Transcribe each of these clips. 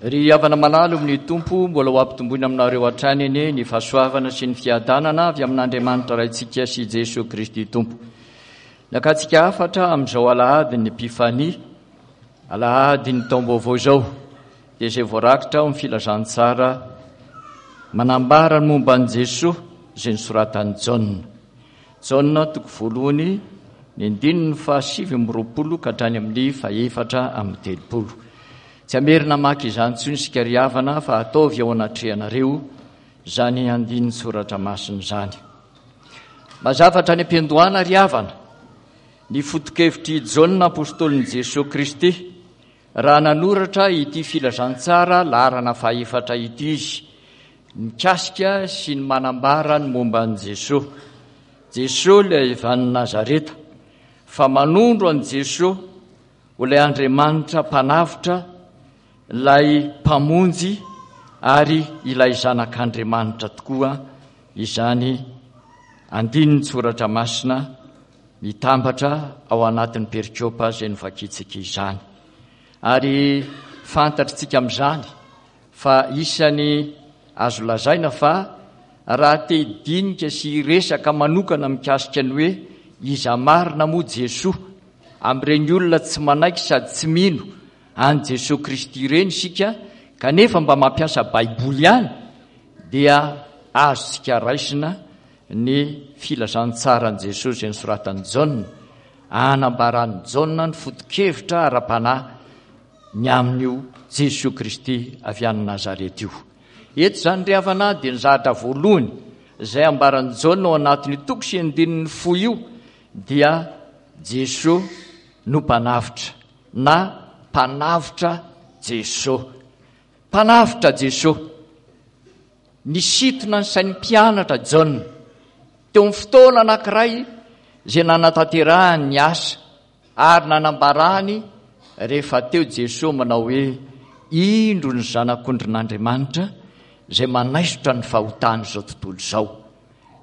Ry havana malala ao amin'ny Tompo, mbola ho ampitomboina aminareo hatrany anie ny fahasoavana sy ny fiadanana avy amin'Andriamanitra Raintsika sy Jesoa Kristy Tompo. Nakantsika hafatra amin'izao alahadin'ny Epifania, alahadin'ny taom-baovao izao, dia izay voarakitra ao amin'ny filazantsara manambara ny momba an'i Jesoa izay nosoratan'i Jaona. Jaona toko voalohany, ny andininy faha-29 ka hatrany amin'ny faha-34. Tsy hamerina hamaky izany intsony isika ry havana fa ataovy ao anatrehanareo izany andinin-tsoratra masina izany. Mazava hatrany am-piandohana ry havana ny foto-kevitr'i Jaona apostolin'i Jesoa Kristy raha nanoratra ity filazantsara laharana fahefatra ity izy mikasika sy ny manambara ny momba an'i Jesoa. Jesoa ilay avy any Nazareta fa manondro an'i Jesoa ho ilay Andriamanitra Mpanavotra, ilay Mpamonjy ary ilay Zanak'Andriamanitra tokoa izany andinin-tsoratra masina mitambatra ao anatin'ny perikopa izay novakintsika izany. Ary fantatritsika amin'izany fa isany azo lazaina fa raha te hidinika sy hiresaka manokana mikasika ny hoe iza marina moa Jesoa amin'ireny olona tsy manaiky sady tsy mino an'i Jesoa Kristy ireny isika kanefa mba mampiasa Baiboly ihany dia azontsika raisina ny filazantsaran'i Jesoa izay nosoratan'i Jaona, anambaran'i Jaona ny foto-kevitra ara-panahy ny amin'io Jesoa Kristy avy any Nazareta io. Eto izany ry havana dia ny zahatra voalohany izay ambaran'i Jaona ao anatin'io toko sy andininy fohy io dia Jesoa no mpanavotra na mpanavotra Jesoa. Mpanavotra Jesoa. Nisintona ny sain'ny mpianatra Jaona teo amin'ny fotoana anankiray izay nanatanterahany ny asa Ary nanambarany rehefa teo Jesoa manao hoe, Indro ny Zanak'ondrin'Andriamanitra izay manaisotra ny fahotan'izao tontolo izao.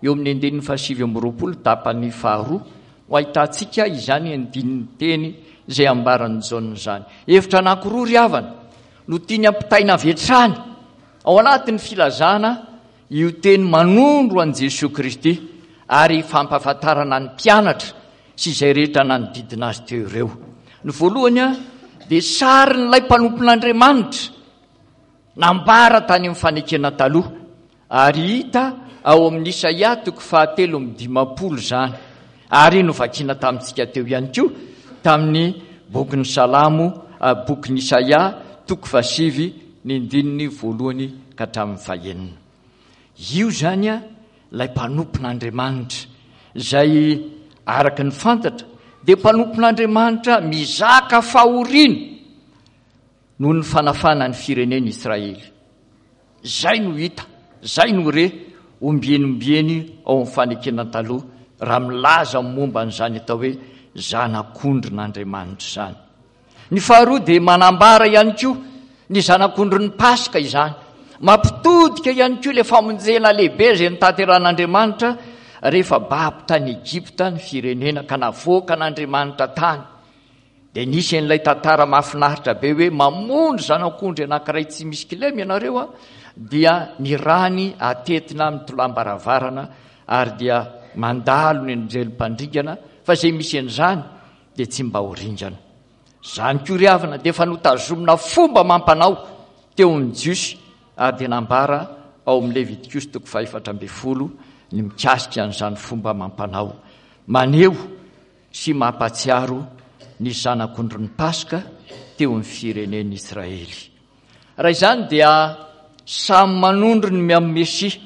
Eo amin'ny andininy faha-29 tapany faharoa no ahitantsika izany andinin-teny izay ambaran'i Jaona izany. Hevitra anankiroa ry havana no tiany ampitaina avy hatrany ao anatin'ny filazana io teny manondro an'i Jesoa Kristy ary fampahafantarana ny mpianatra sy izay rehetra nanodidina azy teo ireo. Ny voalohany dia sarin'ilay mpanompon'Andriamanitra nambara tany amin'ny fanekena taloha ary hita ao amin'ny Isaia toko fahatelo amby dimampolo izany ary novakina tamintsika teo ihany koa tamin'ny bokin'ny Salamo, bokin'i Isaia toko fahasivy ny ndininy voalohany ka hatramin'ny fahenina. Io izany ilay mpanompon'Andriamanitra, izay araka ny fantatra dia mpanompon'Andriamanitra mizaka fahoriana noho ny fanafana ny firenena Israely. Izay no hita, izay no re ombieny ombieny ao amin'ny fanekena taloha raha milaza momba an'izany atao hoe zanak'ondrin'Andriamanitra izany. Ny faharoa dia manambara ihany koa ny zanak'ondrin'ny Paska izany. Mampitodika ihany koa ilay famonjena lehibe izay notanterahan'Andriamanitra rehefa babo tany Egypta ny firenena ka navoakan'Andriamanitra tany. Dia nisy an'ilay tantara mahafinaritra be hoe mamono zanak'ondry anankiray tsy misy kilema ianareo a, dia ny rany atetina amin'ny tolam-baravarana ary dia mandalo ny anjely mpandringana fa izay misy an'izany dia tsy mba ho ringana. Izany koa ry havana dia efa notazomina fomba amam-panao teo amin'ny Jiosy ary dia nambara ao amin'ny Levitikosy toko fahefatra ambin'ny folo ny mikasika an'izany fomba amam-panao maneho sy mampahatsiaro ny zanak'ondrin'ny Paska teo amin'ny firenen'Israely. Raha izany dia samy manondro ny amin'ny Mesia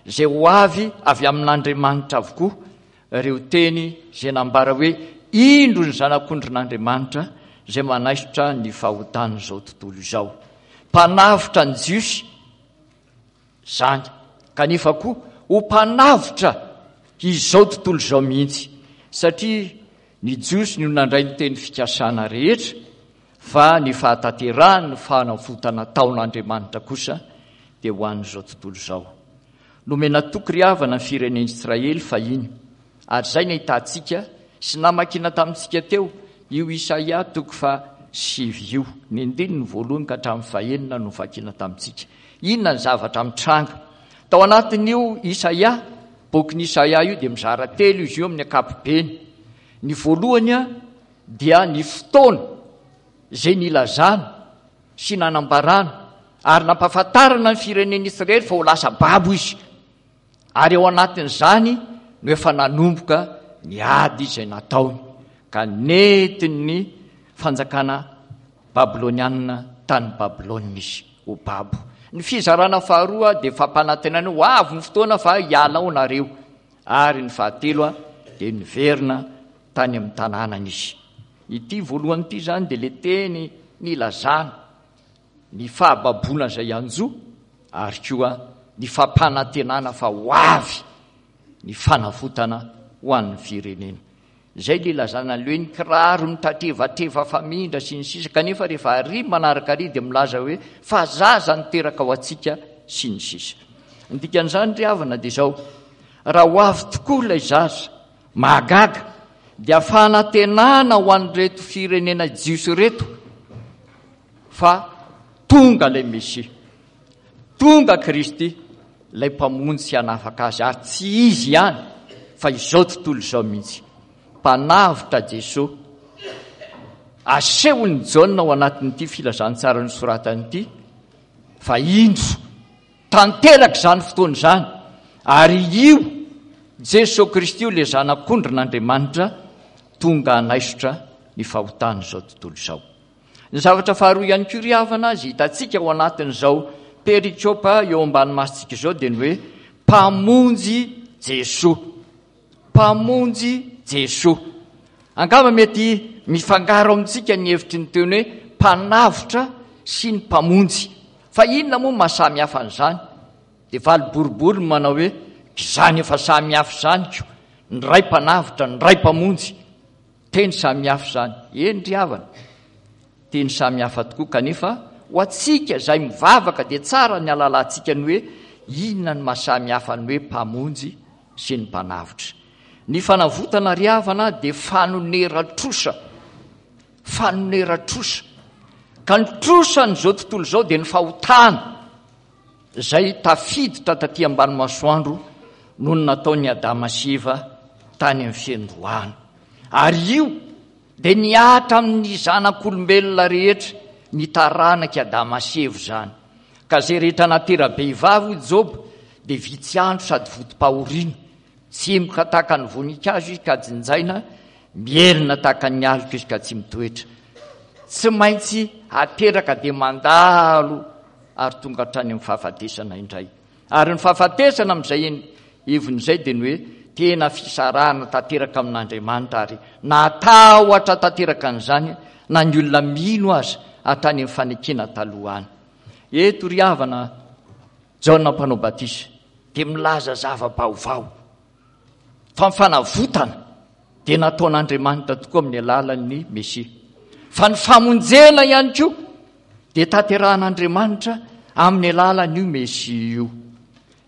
izay ho avy avy amin'Andriamanitra avokoa ireo teny izay nambara hoe, Indro ny Zanak'ondrin'Andriamanitra izay manaisotra ny fahotan'izao tontolo izao. Mpanavotra ny Jiosy izany, kanefa koa ho mpanavotra izao tontolo izao mihitsy, satria ny Jiosy no nandray ny teny fikasana rehetra, fa ny fahatanterahan'ny fanavotana taon'Andriamanitra kosa dia ho an'izao tontolo izao. Nomena toky ry havana ny firenen'Israely fahiny, ary izay no ahitantsika sy namakiana tamintsika teo io Isaia toko faha. sivy io. Ny andininy voalohany ka hatramin'ny fahenina no vakina tamintsika. Inona ny zavatra mitranga? Tao anatin'io Isaia, bokin'i Isaia io dia mizara telo izy io amin'ny ankapobeny. Ny voalohany dia ny fotoana izay nilazana sy nanambarana ary nampahafantarana ny firenen'Israely fa ho lasa babo izy. Ary ao anatin'izany no efa nanomboka ny ady izay nataony, ka nentin'ny fanjakana babylonianina tany Babylona izy ho babo. Ny fizarana faharoa dia fampanantenana ho avy ny fotoana fa hiala ao nareo. Ary ny fahatelo dia niverina tany amin'ny tanànany izy. Ity voalohany ity izany dia ilay teny nilazana ny fahababoana izay hanjo ary koa ny fampanantenana fa ho avy ny fanavotana ho an'ny firenena. Izay ilay ilazana an'ilay hoe ny kiraro mitatrevatreva famindra sy ny sisa kanefa rehefa ary manaraka ary dia milaza hoe fa zaza niteraka ho antsika sy ny sisa. Ny dikan'izany ry havana dia izao, raha ho avy tokoa ilay zaza mahagaga dia fanantenana ho an'ireto firenena jiosy ireto fa tonga ilay Mesia, tonga Kristy, ilay Mpamonjy sy hanafaka azy, ary tsy izy ihany fa izao tontolo izao mihitsy. Mpanavotra Jesoa. Asehon'i Jaona ao anatin'ity filazantsara nosoratany ity fa indro tanteraka izany fotoana izany, ary io Jesoa Kristy io ilay Zanak'ondrin'Andriamanitra tonga hanaisotra ny fahotan'izao tontolo izao. Ny zavatra faharoa ihany koa ry havana izay hitantsika ao anatin'izao perikopa eo ambany masontsika izao dia ny hoe Mpamonjy Jesoa. Mpamonjy Jesoa. Angamba mety mifangaro amintsika ny hevitry ny teny hoe mpanavotra sy ny mpamonjy. Fa inona moa maha samy hafa an'izany? Dia valy boribory ny manao hoe izany efa samy hafa izany ko, ny iray mpanavotra, ny iray mpamonjy. Teny samihafa izany. Eny ry havana, teny samihafa tokoa kanefa ho antsika izay mivavaka dia tsara ny halalantsika ny hoe inona ny maha samihafa ny hoe mpamonjy sy ny mpanavotra. Ny fanavotana ry havana dia fanoneran-trosa. Fanoneran-trosa. Ka ny trosan'izao tontolo izao dia ny fahotana. izay tafiditra taty ambany masoandro noho ny nataon'i Adama sy Eva tany amin'ny fiandohana. Ary io dia nihatra amin'ny zanak'olombelona rehetra, ny taranak'i Adama sy Eva izany. Ka izay rehetra natera-behivavy, hoy Joba, dia vitsy andro sady votom-pahoriana. Tsimoka tahaka ny voninkazo izy ka jinjaina, mihelina tahaka ny aloka izy ka tsy mitoetra. Tsy maintsy ateraka dia mandalo ary tonga hatrany amin'ny fahafatesana indray. Ary ny fahafatesana amin'izay heviny izay dia ny hoe tena fisarahana tanteraka amin'Andriamanitra ary natahotra tanteraka an'izany na ny olona mino aza hatrany amin'ny fanekena taloha any. Eto ry havana, Jaona Mpanao Batisa dia milaza zava-baovao fa ny fanavotana dia nataon'Andriamanitra tokoa amin'ny alalan'ny Mesia. Fa ny famonjena ihany koa dia tanterahan'Andriamanitra amin'ny alalan'io Mesia io.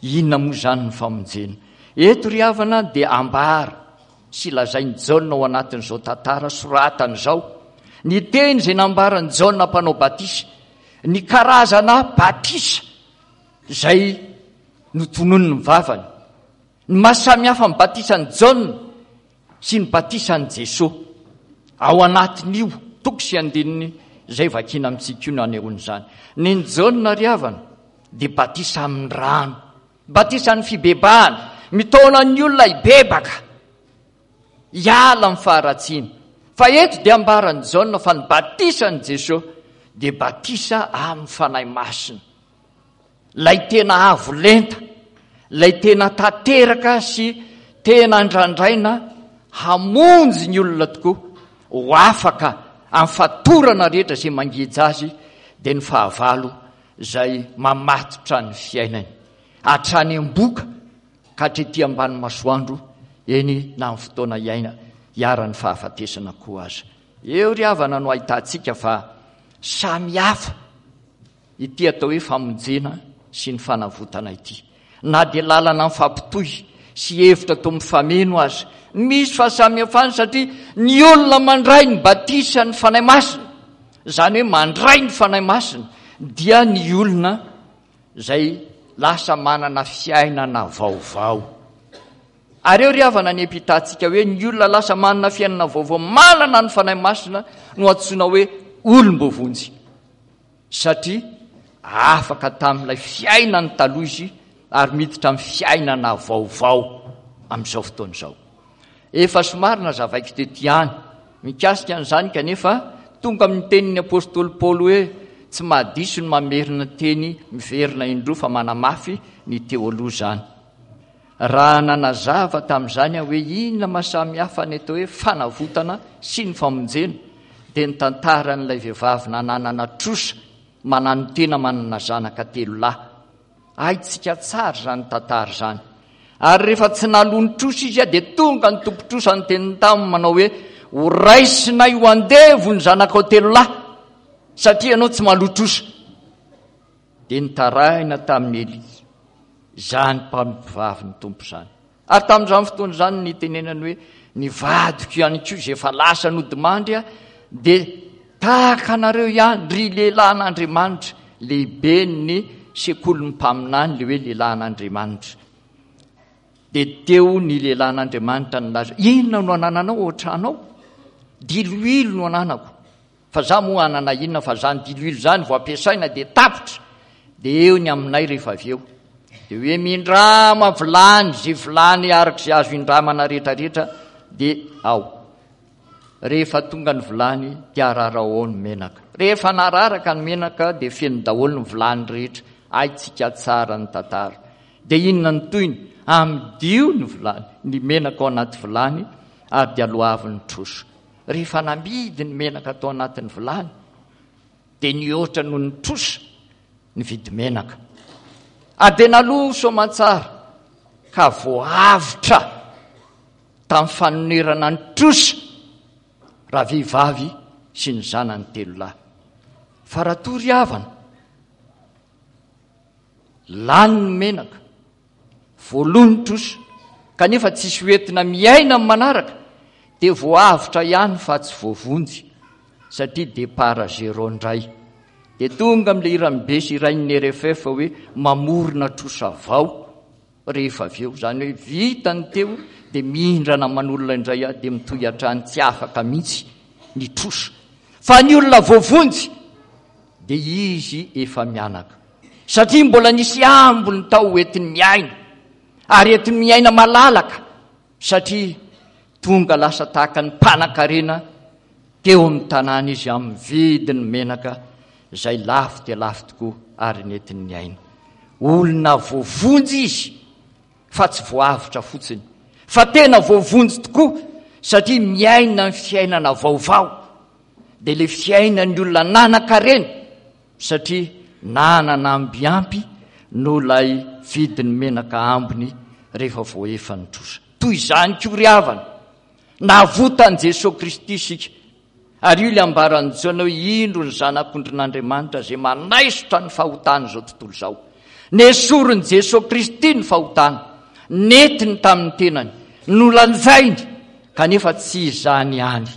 Inona moa izany ny famonjena? Eto ry havana dia ambara sy lazain'i Jaona ao anatin'izao tantara soratany izao ny teny izay nambaran'i Jaona mpanao batisa, ny karazana batisa izay notononiny ny vavany. Ny maha samy hafa ny batisan'i Jaona sy ny batisan'i Jesoa. Ao anatin'io toko sy andininy izay vakiana amintsika io no anehoana izany. Ny an'i Jaona ry havana dia batisa amin'ny rano, batisan'ny fibebahana, mitaona ny olona hibebaka, hiala amin'ny faharatsiana. Fa eto dia ambaran'i Jaona fa ny batisan'i Jesoa dia batisa amin'ny Fanahy Masina. Ilay tena avo lenta, ilay tena tanteraka sy tena andrandraina hamonjy ny olona tokoa ho afaka amin'ny fatorana rehetra izay mangeja azy dia ny fahavalo izay mamatotra ny fiainany hatrany am-boka ka hatrety ambany masoandro, eny na amin'ny fotoana iaina iharan'ny fahafatesana koa aza. Eo ry havana no ahitantsika fa samy hafa ity atao hoe famonjena sy ny fanavotana ity. Na dia lalana mifampitohy sy hevitra toa mifameno aza, misy fahasamihafana satria ny olona mandray ny batisan'ny Fanahy Masina. izany hoe mandray ny Fanahy Masina, dia ny olona izay lasa manana fiainana vaovao. Ary eo ry havana ny ampitantsika hoe ny olona lasa manana fiainana vaovao, manana ny Fanahy Masina no antsoina hoe olom-boavonjy. Satria afaka tamin'ilay fiainany taloha izy ary miditra amin'ny fiainana vaovao amin'izao fotoana izao. Efa somary nazavaiko teto ihany mikasika an'izany kanefa tonga amin'ny tenin'ny apostoly Paoly hoe tsy mahadiso ny mamerina teny miverina indroa fa manamafy ny teo aloha izany. Raha nanazava tamin'izany aho hoe inona maha samy hafa ny atao hoe fanavotana sy ny famonjena dia ny tantaran'ilay vehivavy nananana trosa mananotena manana zanaka telolahy. Haintsika tsara izany tantara izany. Ary rehefa tsy naloa ny trosa izy dia tonga ny tompon-trosa niteny taminy manao hoe ho raisinay ho andevo ny zanakao telolahy satria ianao tsy maloa trosa. Dia nitaraina tamin'i Elia izany mpanompovavy ny Tompo izany. Ary tamin'izany fotoana izany no nitenenany hoe, Ny vadiko ihany koa izay efa lasa nodimandry dia tahaka anareo ihany, ry lehilahin'Andriamanitra. Lehiben'ny sekolin'ny mpaminany ilay hoe lehilahin'Andriamanitra. Dia teo ny lehilahin'Andriamanitra nilaza, Inona no anananao ao an-trano ao? Diloilo no ananako. Fa za moa hanana inona fa zany diloilo zany vao ampiasaina dia tapitra dia eo ny aminay rehefa avy eo. Dia hoe mindrama vilany ze vilany araka ze azo indramana rehetra rehetra dia ao. Rehefa tonga ny vilany dia ararao ao ny menaka. Rehefa nararaka ny menaka dia feno daholo ny vilany rehetra. Haintsika tsara ny tantara. Dia inona ny tohiny? Amidio ny vilany, ny menaka ao anaty vilany ary dia aloavy ny trosa. Rehefa namidy ny menaka tao anatin'ny vilany dia nihoatra noho ny trosa ny vidimenaka. Ary dia naloa soamantsara ka voavotra tamin'ny fanonerana ny trosa ravehivavy sy ny zanany telolahy. Fa raha toa ry havana, lany ny menaka, Voaloa ny trosa, kanefa tsisy ho entina miaina amin'ny manaraka, dia voaavotra ihany fa tsy voavonjy, satria départ à zéro indray. Dia tonga amin'ilay hiran'i Besy hirain'ny RFF hoe mamorona trosa vao rehefa avy eo. Izany hoe vita ny teo dia mindrana aman'olona indray aho dia mitohy hatrany tsy afaka mihitsy ny trosa. Fa ny olona voavonjy dia izy efa mianaka. Satria mbola nisy ambiny tao ho entiny miaina, ary entiny miaina malalaka, satria tonga lasa tahaka ny mpanankarena teo amin'ny tanàna izy amin'ny vidin'ny menaka izay lafo dia lafo tokoa ary nentiny niaina. Olona voavonjy izy fa tsy voavotra fotsiny, fa tena voavonjy tokoa satria miaina ny fiainana vaovao, dia ilay fiainan'ny olona nanan-karena Satria nanana amby ampy noho ilay vidin'ny menaka ambiny rehefa voaefa ny trosa. Toy izany koa ry havana, navotan'i Jesoa Kristy isika. Ary io ilay ambaran'i Jaona hoe indro ny Zanak'ondrin'Andriamanitra izay manaisotra ny fahotan'izao tontolo izao. Nesorin'i Jesoa Kristy ny fahotana, nentiny tamin'ny tenany, nolanjainy, kanefa tsy izany ihany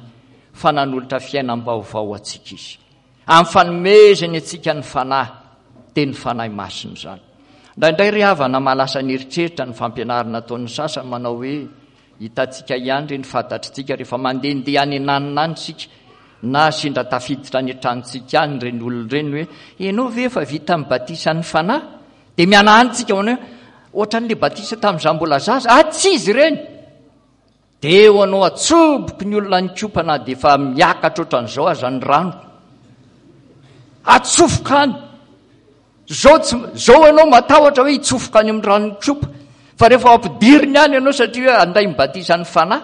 fa nanolotra fiainam-baovao ho antsika Izy. Amin'ny fanomezany antsika ny Fanahy, dia ny Fanahy Masina izany. Indraindray ry havana mahalasa ny eritreritra ny fampianarana ataon'ny sasany manao hoe, hitantsika ihany ireny fantatritsika rehefa mandehandeha any ananona any isika na sendra tafiditra any an-tranontsika any ireny olona ireny hoe, ianao ve efa vita ny batisan'ny Fanahy? Dia mihanahana isika manao hoe, ohatran'ilay batisa tamin'izaho mbola zaza. Ah, tsy izy ireny! Dia eo anao atsoboky ny olona nikopa na dia efa miakatra ohatran'izao aza ny rano. Atsofoka any. Zao tsy zao ianao matahotra hoe hitsofoka any amin'ny rano nikopa. Fa rehefa ampidiriny any ianao satria hoe anday ny batisan'ny fanahy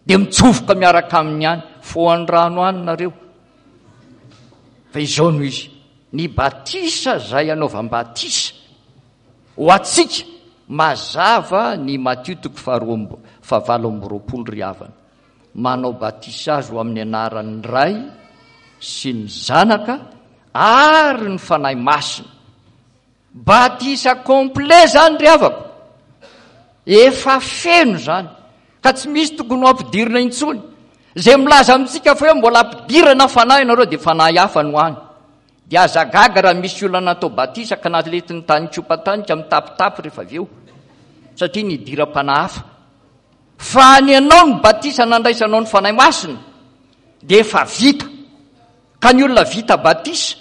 dia mitsofoka miaraka aminy any. Fohan'ny rano any nareo. Fa izao no izy. Ny batisa izay anaovam-batisa Ho antsika, mazava ny Matio toko faharoa fahavalo amby roapolo ry havana. Manao batisa azy ho amin'ny anaran'ny Ray sy ny Zanaka ary ny Fanahy Masina. Batisa complet zany ry havako. Efa feno zany ka tsy misy tokony ho ampidirina intsony. Izay milaza amintsika fa hoe mbola ampidirana fanahy ianareo dia fanahy hafa no any. Dia aza gaga raha misy olona natao batisa ka naletiny tany kopa tany ka mitapitapy rehefa avy eo. Satria nidiram-panahy hafa. Fa ny anao ny batisa nandraisanao ny Fanahy Masina dia efa vita. Ka ny olona vita batisa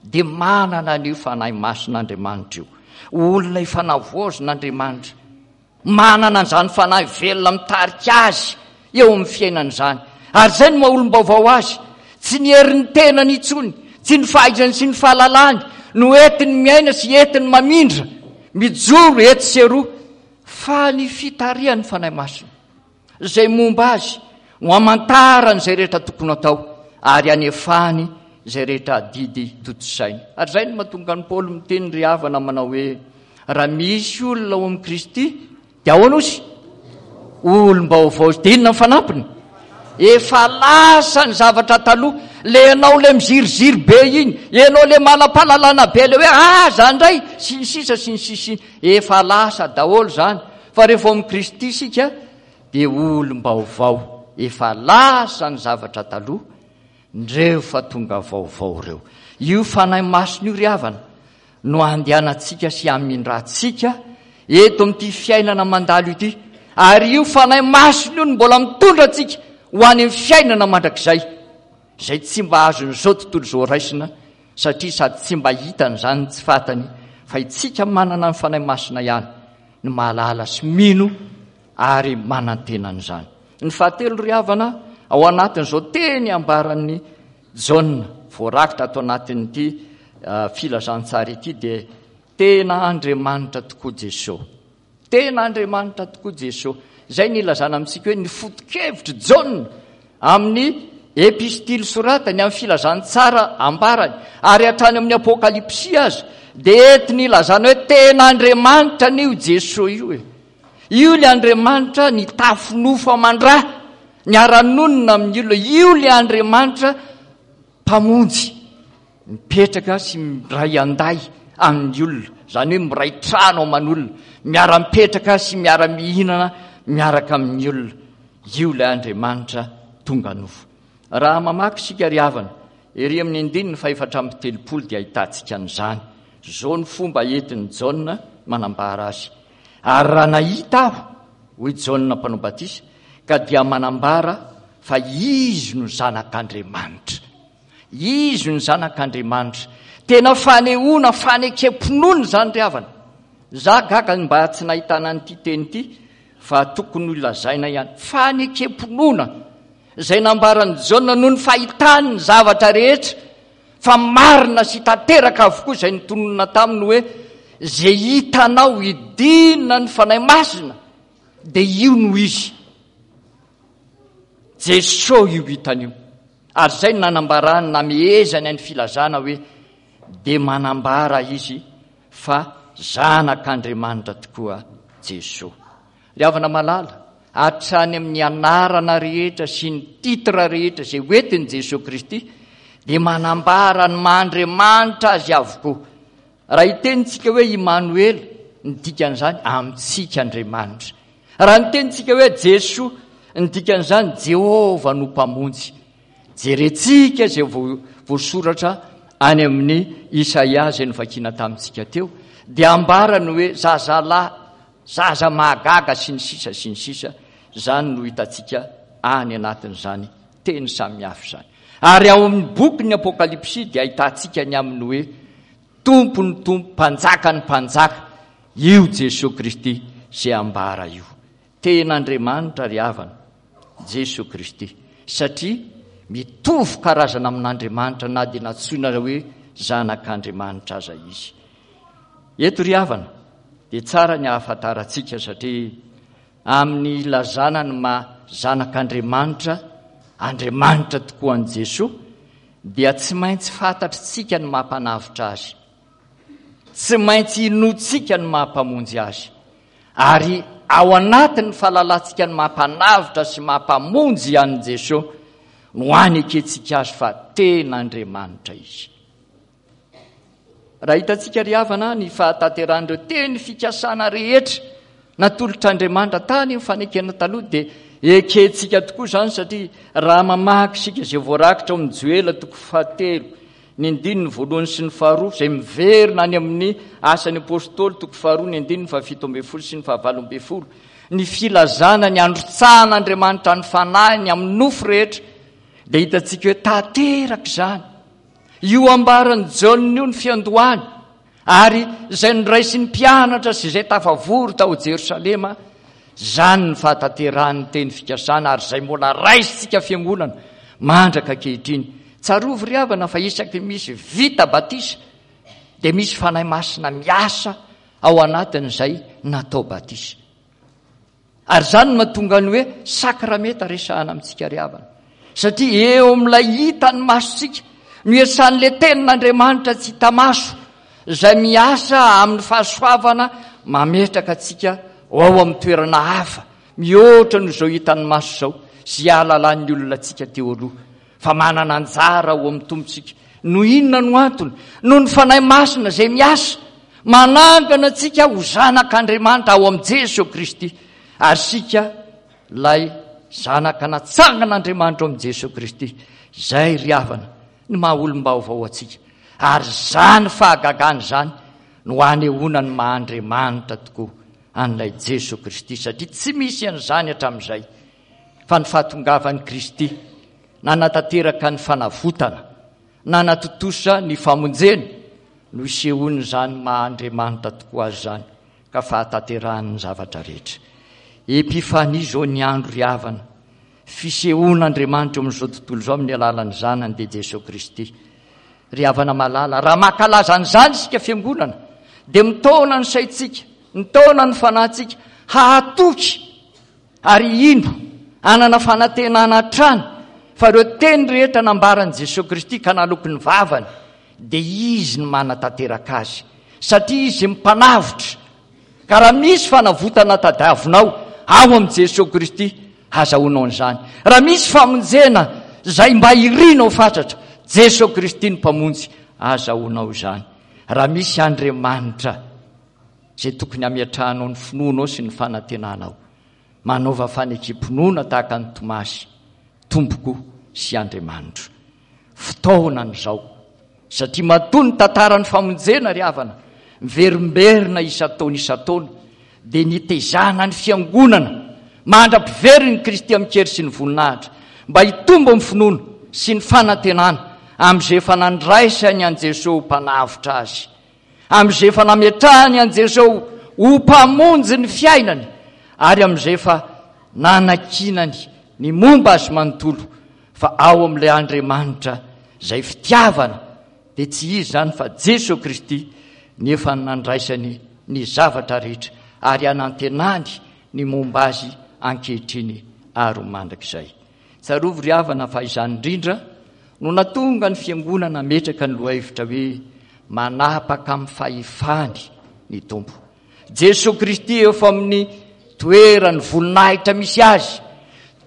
dia manana an'io Fanahy Masin'Andriamanitra io. Olona efa navoazin'Andriamanitra. Manana an'izany Fanahy velona mitarika azy eo amin'ny fiainana izany. Ary izay no maha olom-baovao azy. Tsy ny herin'ny tenany intsony, tsy ny fahaizany sy ny fahalalany no entiny miaina sy entiny mamindra, mijoro etsy sy eroa, fa ny fitarihan'ny Fanahy Masina, izay momba azy, no hamantarany izay rehetra tokony hatao ary hanefany izay rehetra adidy tontosainy. Ary izay no mahatonga an'i Paoly miteny ry havana manao hoe, raha misy olona ao amin'i Kristy, dia ahoana ozy? Olom-baovao izy. Dia inona ny fanampiny? Efa lasa ny zavatra taloha. Le ianao le miziriziry be iny, ianao le manam-pahalalana be le hoe aza indray, sy ny sisa sy ny sisa. Efa lasa daholo izany. Fa rehefa ao amin'i Kristy isika dia olom-baovao. Efa lasa ny zavatra taloha, ndreo fa tonga vaovao ireo. Io Fanahy Masina io ry havana no andehanantsika sy hamindrantsika eto amin'ity fiainana mandalo ity. Ary io Fanahy Masina io no mbola mitondra antsika ho any amin'ny fiainana mandrakizay, izay tsy mba azon'izao tontolo izao raisina, satria sady tsy mba hitany izany tsy fantany, fa itsika manana ny Fanahy Masina ihany no mahalala sy mino ary manantena an'izany. Ny fahatelo ry havana, ao anatin'izao teny ambaran'i Jaona voarakitra ato anatin'ity filazantsara ity dia tena Andriamanitra tokoa Jesoa. Tena Andriamanitra tokoa Jesoa. Izay ny ilazana amintsika hoe ny foto-kevitr'i Jaona amin'ny epistily soratany, amin'ny filazantsara ambarany, ary hatrany amin'ny apokalypsy aza, dia entiny ilazana hoe tena Andriamanitra anie io Jesoa io e. Io ilay Andriamanitra nitafy nofo aman-dra, niara-nonina amin'ny olona. Io ilay Andriamanitra Mpamonjy, mipetraka sy miray an-day amin'ny olona, izany hoe miray trano aman'olona, miara-mipetraka sy miara-mihinana miaraka amin'ny olona. Io ilay Andriamanitra tonga nofo. Raha mamaky isika ry havana, ery amin'ny andininy fahefatra amby telopolo dia ahitantsika an'izany. Izao ny fomba entin'i Jaona manambara azy. Ary raha nahita aho, hoy Jaona Mpanao Batisa, ka dia manambara fa Izy no Zanak'Andriamanitra. Izy no Zanak'Andriamanitra. Tena fanehoana fanekem-pinoana izany ry havana. Za gaga ny mba tsy nahitana an'ity teny ity fa tokony ho lazaina ihany. Fanekem-pinoana izay nambaran'i Jaona noho ny fahitany ny zavatra rehetra fa marina sy tanteraka avokoa izay notononina taminy hoe izay hitanao hidina ny Fanahy Masina dia io no izy. Jesoa io hitany io. Ary izay no nanambarany, namehezany ny filazana hoe dia manambara izy fa zanak'Andriamanitra tokoa Jesoa. Ry havana malala, hatrany amin'ny anarana rehetra sy ny titre rehetra izay hoentin'i Jesoa Kristy dia manambara ny maha Andriamanitra azy avokoa. Raha hitenintsika hoe Imanoela, ny dikan'izany amintsika Andriamanitra. Raha nitenintsika hoe Jesoa, ny dikan'izany Jehovah no Mpamonjy. Jerentsika izay voasoratra any amin'ny Isaia izay novakiana tamintsika teo, dia ambarany hoe zazalahy, zaza mahagaga sy ny sisa sy ny sisa, izany no hitantsika any anatin'izany teny samihafa izany. Ary ao amin'ny bokin'ny Apokalypsy dia ahitantsika ny amin'ny hoe Tompon'ny tompo, Mpanjakan'ny mpanjaka, io Jesoa Kristy izay ambara io. Tena Andriamanitra ry havana, Jesoa Kristy, satria mitovy karazana amin'Andriamanitra na dia nantsoina hoe Zanak'Andriamanitra aza Izy. Eto ry havana, dia tsara ny ahafantarantsika satria amin'ny ilazana ny maha Zanak'Andriamanitra, Andriamanitra tokoa an'i Jesoa, dia tsy maintsy fantatritsika ny maha Mpanavotra Azy. Tsy maintsy inoantsika ny maha Mpamonjy Azy. Ary ao anatin'ny fahalalantsika ny maha Mpanavotra sy maha Mpamonjy an'i Jesoa no anekentsika Azy fa tena Andriamanitra Izy. Raha hitantsika ry havana ny fahatanterahan'ireo teny fikasana rehetra natolotr'Andriamanitra tany amin'ny fanekena taloha dia Ekentsika tokoa izany satria raha mamaky isika izay voarakitra ao amin'ny Joela toko fahatelo, ny andininy voalohany sy ny faharoa, izay miverina any amin'ny Asan'ny Apostoly toko faharoa, ny andininy fahafito ambin'ny folo sy ny fahavalo ambin'ny folo, ny filazana ny handrotsahan'Andriamanitra ny Fanahiny amin'ny nofo rehetra, dia hitantsika hoe tanteraka izany. Io ambaran'i Jaona io ny fiandohany, ary izay noraisin'ny mpianatra sy izay tafavory tao Jerosalema, izany ny fahatanterahan'ny teny fikasana ary izay mbola raisintsika fiangonana mandraka ankehitriny. Tsarovy ry havana fa isaky ny misy vita batisa dia misy Fanahy Masina miasa ao anatin'izay natao batisa. Ary izany no mahatonga ny hoe sakramenta resahana amintsika ry havana. Satria eo amin'ilay hitan'ny masontsika no iasan'ilay tenin'Andriamanitra tsy hita maso, izay miasa amin'ny fahasoavana mametraka antsika ho ao amin'ny toerana hafa mihoatra noho izao hitan'ny maso izao sy ahalalan'ny olona antsika teo aloha. Fa manana anjara ao amin'ny Tompontsika. Noho inona no antony? Noho ny Fanahy Masina izay miasa, manangana antsika ho zanak'Andriamanitra ao amin'i Jesoa Kristy. Ary isika ilay zanaka natsangan'Andriamanitra ao amin'i Jesoa Kristy. Izay ry havana ny maha olom-baovao antsika. Ary izany fahagagana izany no anehoana ny maha Andriamanitra tokoa an'ilay Jesoa Kristy, satria tsy misy an'izany hatramin'izay. fa ny fahatongavan'i Kristy nanatanteraka ny fanavotana, nanatontosa ny famonjena, no isehoan'izany maha Andriamanitra tokoa Azy izany, ka fahatanterahany ny zavatra rehetra. Epifania izao ny andro ry havana, fisehoan'Andriamanitra eo amin'izao tontolo izao amin'ny alalan'ny Zanany dia Jesoa Kristy. Ry havana malala, raha mankalaza an'izany isika fiangonana, dia mitaona ny saintsika, mitaona ny fanahintsika hahatoky Ary hino, hanana fanantenana hatrany fa ireo teny rehetra nambaran'i Jesoa Kristy ka naloky ny vavany dia Izy no manatanteraka azy, satria Izy Mpanavotra. Ka raha misy fanavotana tadiavinao ao amin'i Jesoa Kristy, hazahoanao an'izany. Raha misy famonjena izay mba irinao fatratra, Jesoa Kristy no Mpamonjy, azahoanao izany. Raha misy Andriamanitra izay tokony hametrahanao ny finoanao sy ny fanantenanao. Manaova fanekem-pinoana tahaka an'i Tomasy, Tompoko sy Andriamanitro. Fotoanany izao, satria matoa ny tantaran'ny famonjena ry havana, miverimberina isan-taona isan-taona, dia nitezana ny fiangonana mandra-piverin'i Kristy amin-kery sy ny voninahitra, mba hitombo amin'ny finoana sy ny fanantenana amin'izay efa nandraisany an'i Jesoa ho Mpanavotra azy. amin'izay efa nametrahany an'i Jesoa ho Mpamonjy ny fiainany ary amin'izay efa nanakinany ny momba azy manontolo fa ao amin'ilay Andriamanitra izay fitiavana dia tsy iza izany fa Jesoa Kristy ny efa nandraisany ny zavatra rehetra ary anantenany ny momba azy ankehitriny ary ho mandrakizay. Tsarovy ry havana fa izany indrindra no natonga ny fiangonana hametraka ny lohahevitra hoe manapaka amin'ny fahefany ny Tompo. Jesoa Kristy efa amin'ny toeran'ny voninahitra misy azy,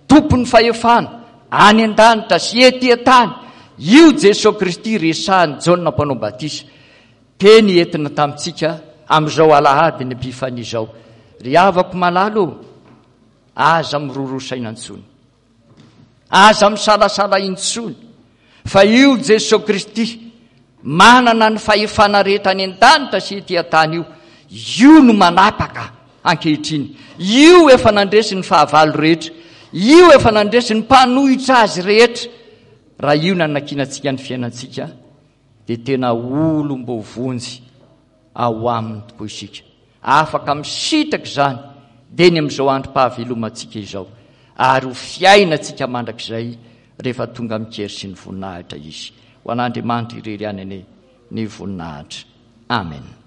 tompon'ny fahefana any an-danitra sy ety an-tany. Io Jesoa Kristy resahin'i Jaona Mpanao Batisa, teny entina tamintsika amin'izao alahady ny Epifania izao. Ry havako malala ô, Aza miroroa saina intsony. Aza misalasala intsony fa io Jesoa Kristy manana ny fahefana rehetra any an-danitra sy ety an-tany io, io no manapaka ankehitriny. Io efa nandresy ny fahavalo rehetra. Io efa nandresy ny mpanohitra azy rehetra. Raha io nanakinantsika ny fiainantsika dia tena olom-boavonjy ao aminy tokoa isika. Afaka misitraka izany dieny amin'izao androm-pahavelomantsika izao, ary ho fiainantsika mandrakizay rehefa tonga amin-kery sy ny voninahitra Izy. Ho an'Andriamanitra irery ihany anie ny voninahitra. Amen.